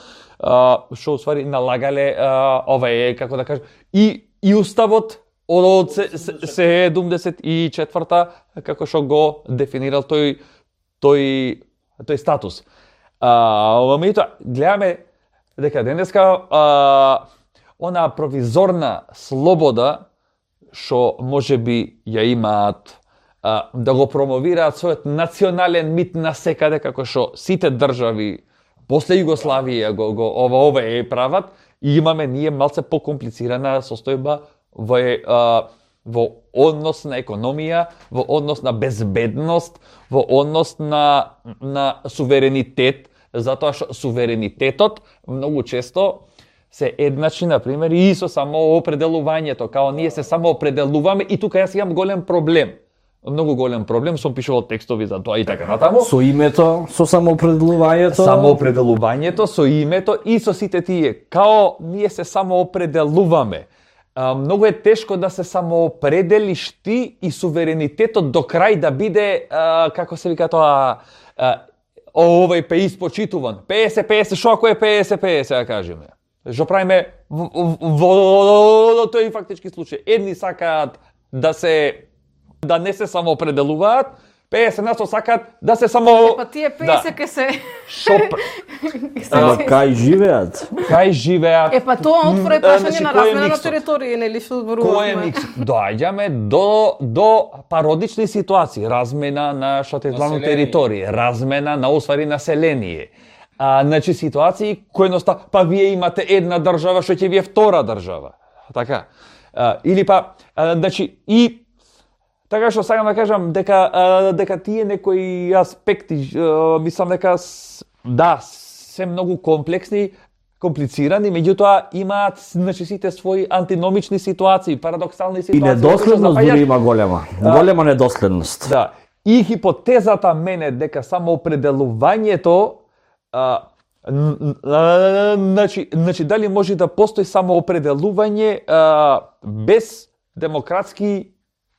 што усвари налагале uh, овај како да кажам и и уставот од седумдесет и четврта како што го дефинирал тој тој тој статус. А меѓутоа гледаме дека денеска а, она провизорна слобода што можеби ја имаат а, да го промовираат својот национален мит насекаде како што сите држави после Југославија го, го ова ова е прават, и имаме ние малце покомплицирана состојба во а, во однос на економија, во однос на безбедност, во однос на на суверенитет, затоа што суверенитетот многу често се едначни, например, и со самоопределувањето, као ние се самоопределуваме и тука јас имам голем проблем. Многу голем проблем, сум пишувал текстови за тоа и така натаму. Со името, со самоопределувањето. Самоопределувањето, со името и со сите тие. Као ние се самоопределуваме. А, многу е тешко да се самоопределиш ти и суверенитетот до крај да биде, а, како се вика тоа, а, овој пе испочитуван. петдесет петдесет, шо ако е петдесет петдесет, да кажеме. Што правиме во тој фактички случај. Едни сакаат да се да не се самоопределуваат, петдесет на сто сакаат да се само Па тие петдесет ке се Шо Ама кај живеат? кај живеат? Е па тоа отвора е прашање Значи, на кој е размена на миксот? територија, нели што Кој е зборуваме? микс? Доаѓаме до до пародични ситуации, размена на што те главно територија, размена на усвари население. А, значи ситуации кои едноставно, па вие имате една држава, што ќе ви е втора држава. Така. А, или па, а, значи и така што сакам да кажам дека а, дека тие некои аспекти, а, мислам дека с, да, се многу комплексни, комплицирани, меѓутоа имаат значи сите своји антиномични ситуации, парадоксални И ситуации. недоследност Запаѓаш- дури има голема. Голема недоследност. Да. И хипотезата мене дека самоопределувањето а, н- н- значи, значи дали може да постои самоопределување а, без демократски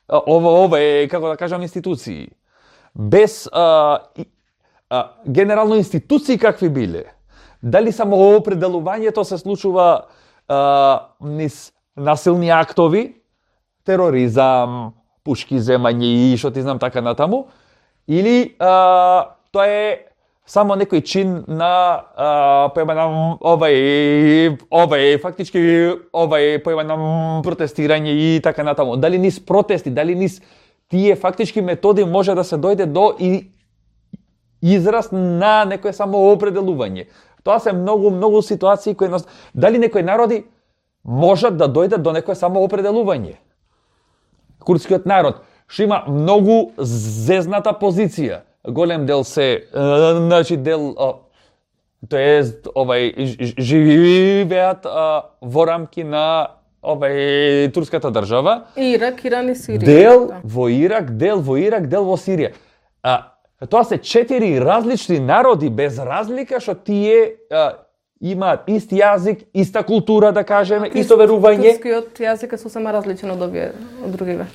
а, ова ова е како да кажам институции. Без а, и, а, генерално институции какви биле. Дали самоопределувањето се случува а, низ насилни актови, тероризам, пушки земање и што ти знам така натаму, или а, тоа е само некој чин на а, појмана овај овај фактички овај појмана протестирање и така натаму. Дали низ протести, дали низ тие фактички методи може да се дојде до и израз на некое самоопределување. Тоа се многу многу ситуации кои нас... дали некои народи можат да дојдат до некое самоопределување. Курдскиот народ што има многу зезната позиција. Голем дел се, е, значи дел, тоест овај ж- ж- живеат а, во рамки на овај турската држава. Ирак, Иран и Сирија. Дел Да. во Ирак, дел во Ирак, дел во Сирија. А, тоа се четири различни народи без разлика што тие а, имаат ист јазик, иста култура да кажеме, исто верување. Турскиот јазик е сосема различен од овие од другиве.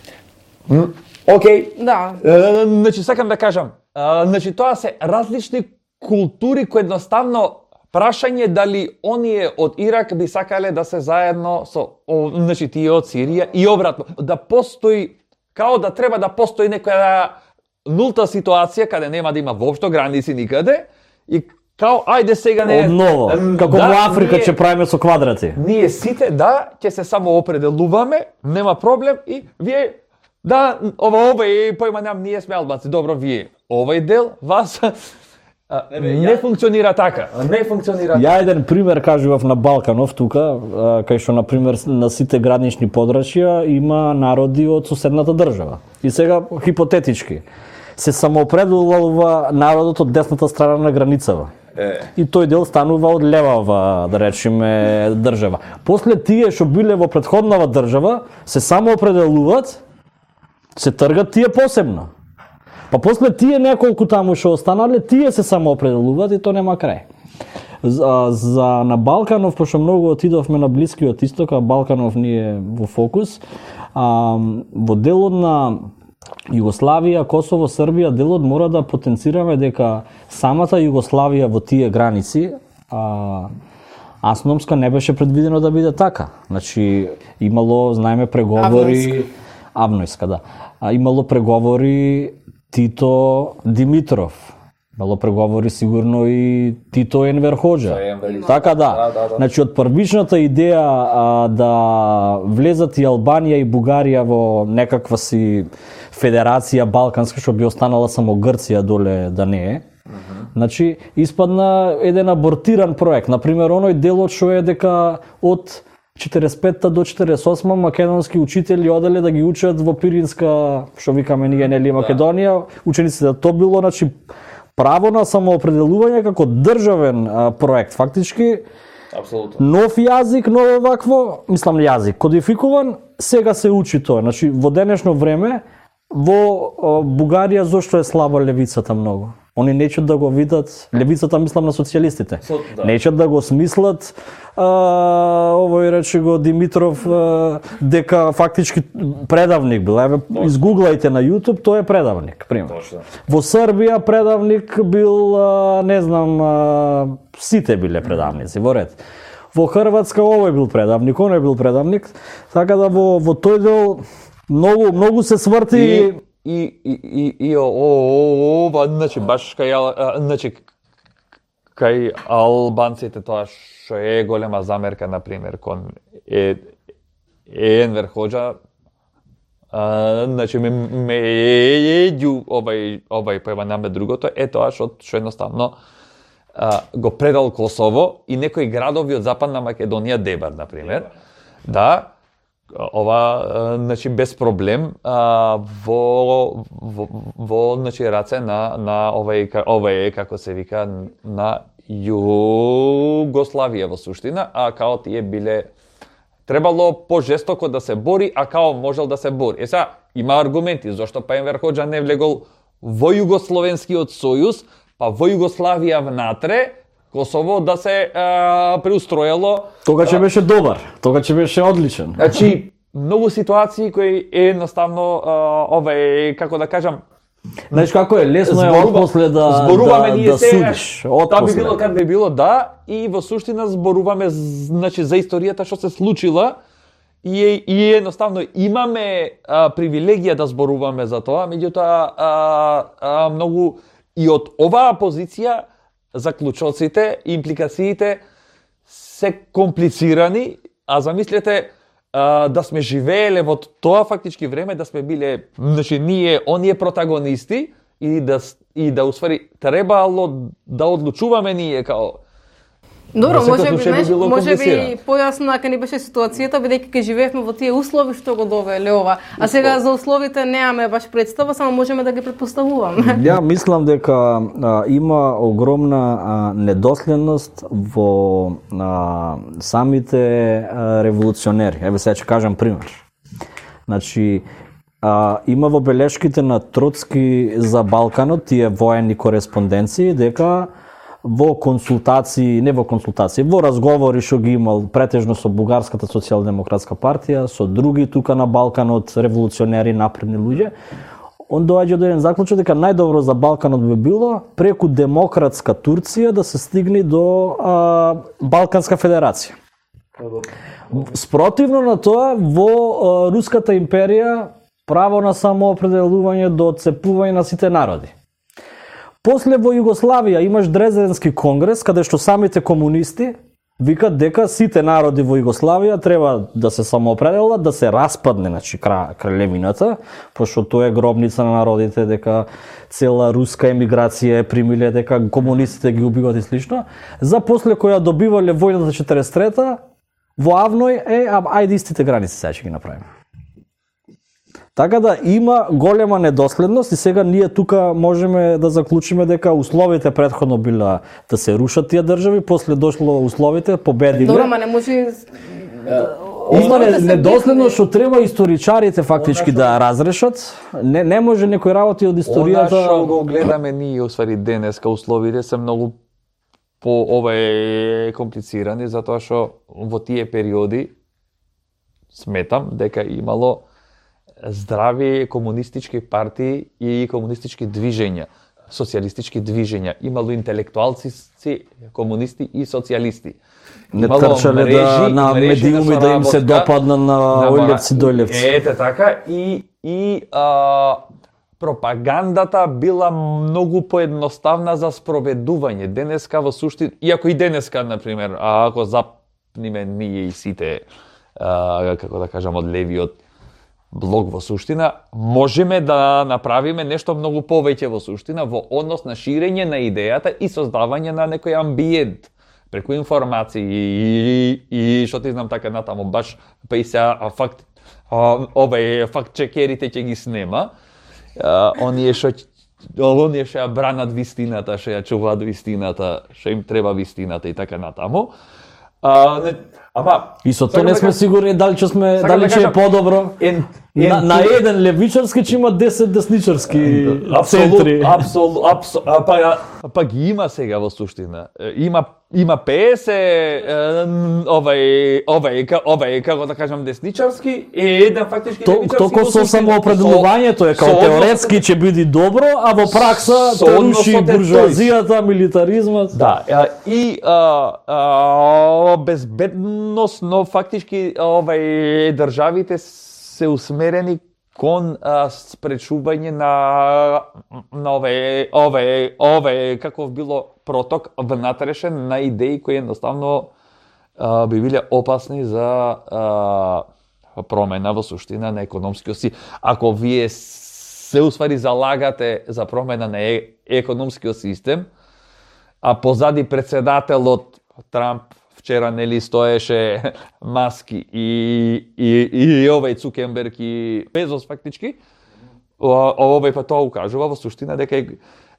М, Океј. Да. Е, Значи сакам да кажам, а, значи тоа се различни култури кои едноставно прашање дали оние од Ирак би сакале да се заедно со о, значи тие од Сирија и обратно, да постои као да треба да постои некоја нулта ситуација каде нема да има воопшто граници никаде и као ајде сега не Одново, М, како да, во Африка ние- ќе правиме со квадрати. Ние сите да ќе се само определуваме, нема проблем и вие да ова ова е појма нам ние сме албанци, добро вие овој дел вас а, не функционира така. Не функционира. Ја еден пример кажував на Балканов тука, а, кај што на пример на сите гранични подрачја има народи од соседната држава. И сега хипотетички се самоопределува народот од десната страна на границава. Е. И тој дел станува од левава, да речеме, држава. После тие што биле во претходнава држава се самоопределуваат, се тргат тие посебно. Па после тие неколку таму што останале, тие се самоопределуваат и то нема крај. За, за на Балканов, пошто многу отидовме на Блискиот Исток, а Балканов ни е во фокус, а, во делот на Југославија, Косово, Србија, делот мора да потенцираме дека самата Југославија во тие граници а, асономска не беше предвидено да биде така. Значи, имало, знаеме, преговори... Авнојска, да. А, имало преговори Тито Димитров. Имало преговори сигурно и Тито Енвер Хоџа. Така да. Да, да, да. Значи, од првичната идеја а, да влезат и Албанија и Бугарија во некаква си федерација балканска, што би останала само Грција доле да не е. Значи, испадна еден абортиран проект. Например, оној делот што е дека од четиресет петта до четиресет и осма македонски учители оделе да ги учат во Пиринска, што викаме ние, нели, Македонија, учениците. То било, значи, право на самоопределување како државен а, проект. Фактички, Апсолутно. Нов јазик, ново вакво, мислам јазик, кодификуван, сега се учи тоа. Значи, во денешно време, во Бугарија зошто е слаба левицата многу? Они неќат да го видат, левицата мислам на социјалистите, да. неќат да го смислат, а, овој рече го Димитров, а, дека фактички предавник бил. Еве, изгуглајте на YouTube, тој е предавник, пример. Точно. Во Србија предавник бил, а, не знам, а, сите биле предавници, во ред. Во Хрватска овој бил предавник, оној бил предавник, така да во, во тој дел многу, многу се сврти... И... И, и, и, и о, о, ова, значи, баш кај, а, значи, кај албанците тоа што е голема замерка, например, кон е, е Енвер Хоџа, а, значи, ме, ме еѓу обај, обај појма наме другото, е тоа што, што едноставно а, го предал Косово и некои градови од Западна Македонија дебар, например, да, ова, значи, без проблем а, во, во, во значи, раце на, на овај, овај, како се вика, на Југославија во суштина, а као тие биле, требало пожестоко да се бори, а као можел да се бори. Е сега, има аргументи, зашто па Енвер Хоџа не влегол во Југословенскиот сојуз, па во Југославија внатре, Косово да се а, преустроело. Тога ќе беше добар, тога ќе беше одличен. Значи, многу ситуации кои е едноставно а, овај, како да кажам, знаеш како е, лесно е отпосле да зборуваме да, ние да се, судиш. Тоа би било кад би било, да, и во суштина зборуваме, значи, за историјата што се случила и, и едноставно имаме а, привилегија да зборуваме за тоа, меѓутоа а, а, многу и од оваа позиција заклучоците, импликациите се комплицирани, а замислете а, да сме живееле во тоа фактички време, да сме биле, значи, ние, оние протагонисти и да, и да усвари, требало да одлучуваме ние као... Добро, да може би, знаеш, би може би појасно ка ни беше ситуацијата, бидејќи ке живеевме во тие услови што го довеле ова. А сега за условите немаме баш представа, само можеме да ги претпоставуваме. Ја мислам дека а, има огромна а, недоследност во а, самите а, револуционери. Еве сега ќе кажам пример. Значи, а, има во белешките на Троцки за Балканот, тие воени кореспонденции, дека во консултации, не во консултации, во разговори што ги имал претежно со Бугарската социјалдемократска партија, со други тука на Балканот, револуционери, напредни луѓе, он доаѓа до еден заклучок дека најдобро за Балканот би било преку демократска Турција да се стигне до а, Балканска федерација. Спротивно на тоа, во а, Руската империја право на самоопределување до отцепување на сите народи. После во Југославија имаш Дрезденски конгрес, каде што самите комунисти викат дека сите народи во Југославија треба да се самоопределат, да се распадне, значи, кралевината, пошто тоа е гробница на народите, дека цела руска емиграција е примиле, дека комунистите ги убиват и слично. За после која добивале војната четириесет и трета, во Авној е, а, ајде истите граници сега ќе ги направиме. Така да има голема недоследност и сега ние тука можеме да заклучиме дека условите претходно била да се рушат тие држави, после дошло условите, победиле. Добро, ма не може... Има недоследност што треба историчарите фактички да разрешат. Не, не може некои работи од историјата... Она што го гледаме ние, усвари денеска, условите се многу по овај комплицирани, затоа што во тие периоди сметам дека имало здрави комунистички партии и комунистички движења, социјалистички движења. Имало интелектуалци, комунисти и социјалисти. Не трчале да на медиуми да им се допадна на Ојлевци дојлевци. Ете така, и, и а, пропагандата била многу поедноставна за спроведување. Денеска во суштина, иако и денеска, например, а ако запниме ние и сите, а, како да кажам, од левиот блок во суштина, можеме да направиме нешто многу повеќе во суштина во однос на ширење на идејата и создавање на некој амбиент преку информации и, и што ти знам така натаму, баш па и сега факт, овај факт чекерите ќе ги снема, а, оние што оние што ја бранат вистината, што ја чуваат вистината, што им треба вистината и така натаму. А, не, ама И со тоа не сме сигурни дали че сме Сакам дали да че е кажам, подобро. ен- На, ен- на еден левичарски че има десет десничарски центри. Апсолут, апсо, а, па, а, па ги има сега во суштина. Е, Има има песет е, овај овај ка- овај како да кажам десничарски и еден фактички То, левичарски. токо во со суштина. самоопределувањето е Со- као со однос- теоретски ќе биде добро, а во пракса Со те односот руши е тој. буржуазијата, милитаризмот. Да, а, и а, а, безбедносно фактички овај државите се усмерени кон а, спречување на на овај овај овај каков било проток внатрешен на идеи кои едноставно а, би биле опасни за а, промена во суштина на економскиот си. Ако вие се усвари залагате за промена на е, економскиот систем, а позади председателот Трамп вчера нели стоеше Маски и и и овај Цукерберг и Безос фактички, о- овај па тоа укажува во суштина дека е,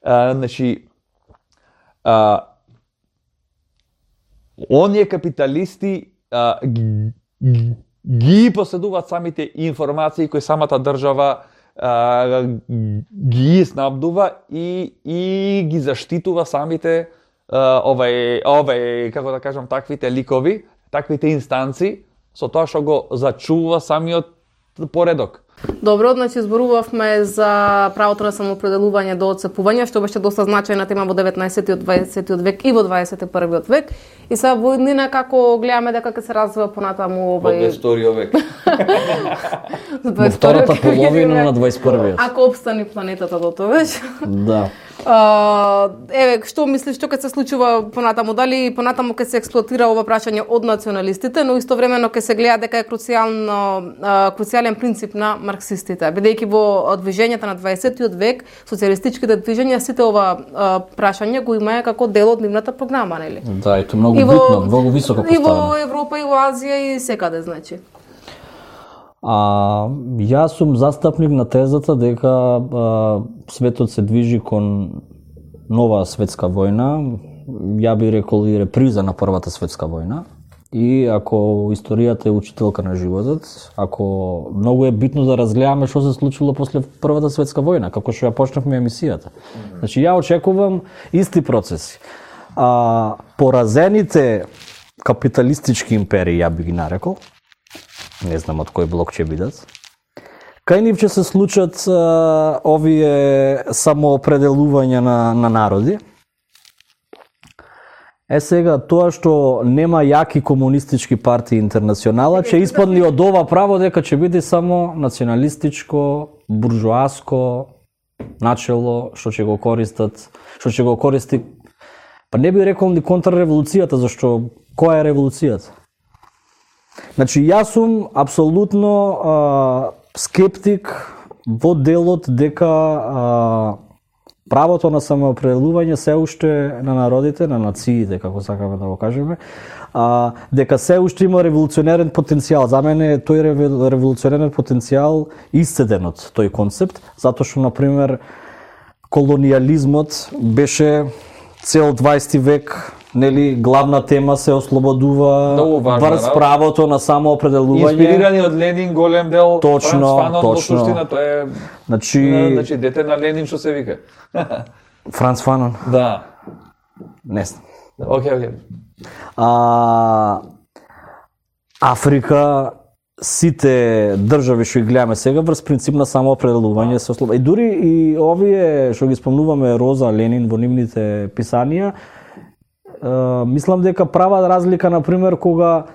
а, значи а, оние капиталисти а, ги, ги- ги поседуваат самите информации кои самата држава а, ги снабдува и и ги заштитува самите а, овај овај како да кажам таквите ликови, таквите инстанци со тоа што го зачува самиот поредок. Добро, значи зборувавме за правото на самоопределување до отцепување, што беше доста значајна тема во деветнаесеттиот, дваесеттиот век и во дваесет и првиот век. И сега во иднина како гледаме дека ќе се развива понатаму Во овај дваесетиот век. Во втората половина на дваесет и првиот. Ако обстани планетата до тогаш. Да. А, еве, што мислиш што ќе се случува понатаму? Дали понатаму ќе се експлоатира ова прашање од националистите, но истовремено ќе се гледа дека е круцијално а, круцијален принцип на марксистите, бидејќи во движењата на дваесеттиот век, социјалистичките движења сите ова а, прашање го имаја како дел од нивната програма, нели? Да, и тоа многу И во- битно, многу високо И во поставено. Европа, и во Азија, и секаде, значи. А, јас сум застапник на тезата дека а, светот се движи кон нова светска војна, ја би рекол и реприза на Првата светска војна. И ако историјата е учителка на животот, ако многу е битно да разгледаме што се случило после Првата светска војна, како што ја почнавме емисијата. Значи ја очекувам исти процеси. А, поразените капиталистички империи, ја би ги нарекол, не знам од кој блок ќе бидат, кај нив ќе се случат а, овие самоопределувања на, на народи. Е сега, тоа што нема јаки комунистички партии интернационала, ќе испадне од ова право дека ќе биде само националистичко, буржуаско начело што ќе го користат, што ќе го користи. Па не би рекол ни контрреволуцијата, зашто која е револуцијата? Значи, јас сум апсолутно а, скептик во делот дека а, правото на самоопределување се уште на народите, на нациите, како сакаме да го кажеме, а, дека се уште има револуционерен потенцијал. За мене е тој револуционерен потенцијал исцеден од тој концепт, затоа што, например, колониализмот беше цел дваесети век, нели, главна тема се ослободува Многу важна, врз да. правото на самоопределување. Инспирирани од Ленин, голем дел. Точно, Франц Фанон, точно. Во суштина, тоа е Значи, на- значи дете на Ленин што се вика. Франц Фанон, Да. не знам. Океј, океј. А, Африка, сите држави што ги гледаме сега врз принцип на самоопределување се ослободува. И дури и овие што ги спомнуваме Роза, Ленин во нивните писанија, е, мислам дека прават разлика, например, кога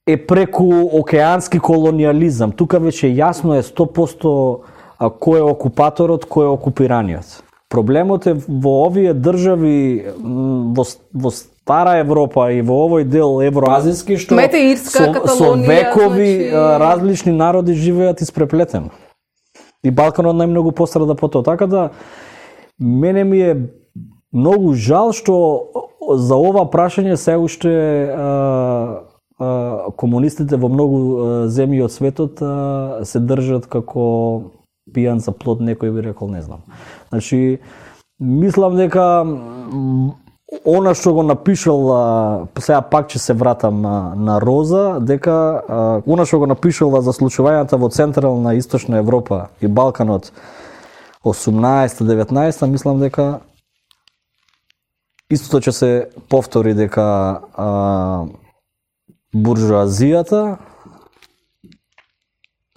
е преку океански колониализам. Тука веќе јасно е сто посто а, кој е окупаторот, кој е окупираниот. Проблемот е во овие држави м, во, во стара Европа и во овој дел евроазиски што Мете Ирска, со, со Каталонија, векови значи- а, различни народи живеат испреплетено. И Балканот најмногу пострада по тоа. Така да мене ми е многу жал што за ова прашање се уште а, а, комунистите во многу а, земји од светот а, се држат како пијан за плод, некој би рекол, не знам. Значи, мислам дека м, она што го напишала, сега пак ќе се вратам на, на Роза, дека а, она што го напишала за случувањата во Централна и Источна Европа и Балканот осумнаесета деветнаесета, мислам дека истото ќе се повтори, дека а, буржуазијата,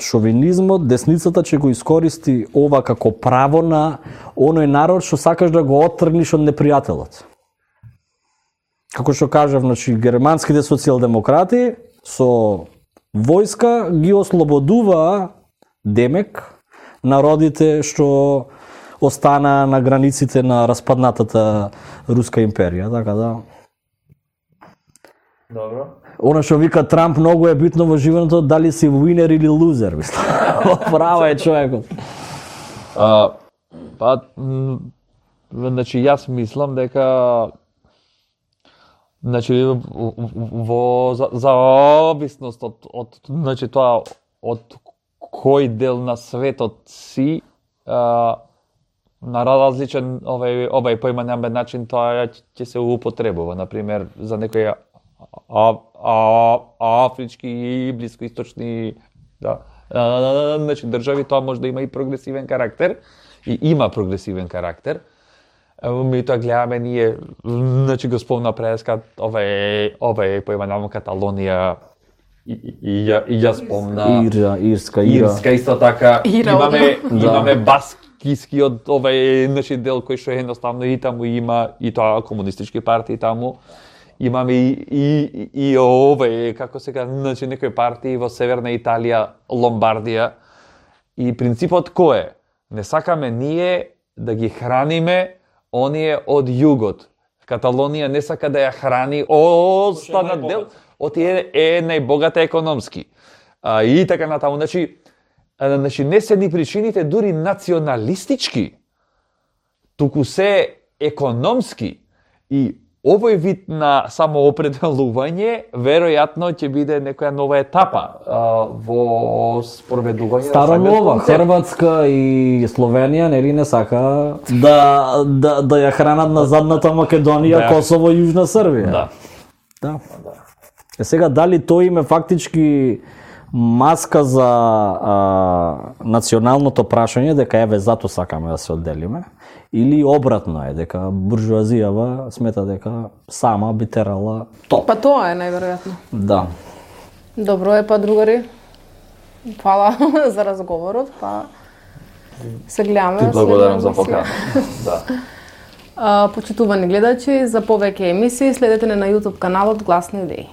шовинизмот, десницата ќе го искористи ова како право на оној народ што сакаш да го оттргнеш од непријателот. Како што кажав, значи, германските социјалдемократи со војска ги ослободува демек народите што остана на границите на распаднатата Руска империја, така да. Добро. Она што вика Трамп многу е битно во животот, дали си winner или loser, мислам. Права е човекот. А, па, м, значи, јас мислам дека значи, во за, зависност од, од значи, тоа од кој дел на светот си, а, на различен овај овај поимањен начин тоа ќе се употребува, например за некои а, а, афрички и блискоисточни да а, значи држави тоа може да има и прогресивен карактер и има прогресивен карактер. Ми тоа гледаме ние, значи го спомна преска овај овај поимањен Каталонија и, и, и, и ја спомна Ира, Ирска, Ира. Ирска исто така. Ира, имаме да. имаме баскискиот овај значи дел кој што едноставно и таму има и тоа комунистички партии таму. Имаме и и и овај како се кажа, значи некои партии во северна Италија, Ломбардија. И принципот кој е? Не сакаме ние да ги храниме оние од југот. Каталонија не сака да ја храни останат дел, од е, е најбогата економски. А, и така натаму, значи, а, значи не се ни причините дури националистички, туку се економски. И овој вид на самоопределување веројатно ќе биде некоја нова етапа а, во спроведување. Старо-нова, Хрватска и Словенија нели не сака да да да ја хранат на задната Македонија, Да. Косово и Јужна Србија. Да. Да. Е сега дали тој им е фактички маска за а, националното прашање дека еве зато сакаме да се одделиме, или обратно е дека буржуазијава смета дека сама би терала топ. Па тоа е најверојатно. Да. Добро е, па другари. Фала за разговорот, па се гледаме. Ти благодарам следна за емисија. покана. Да. А, почитувани гледачи, за повеќе емисии следете не на YouTube каналот Гласни идеи.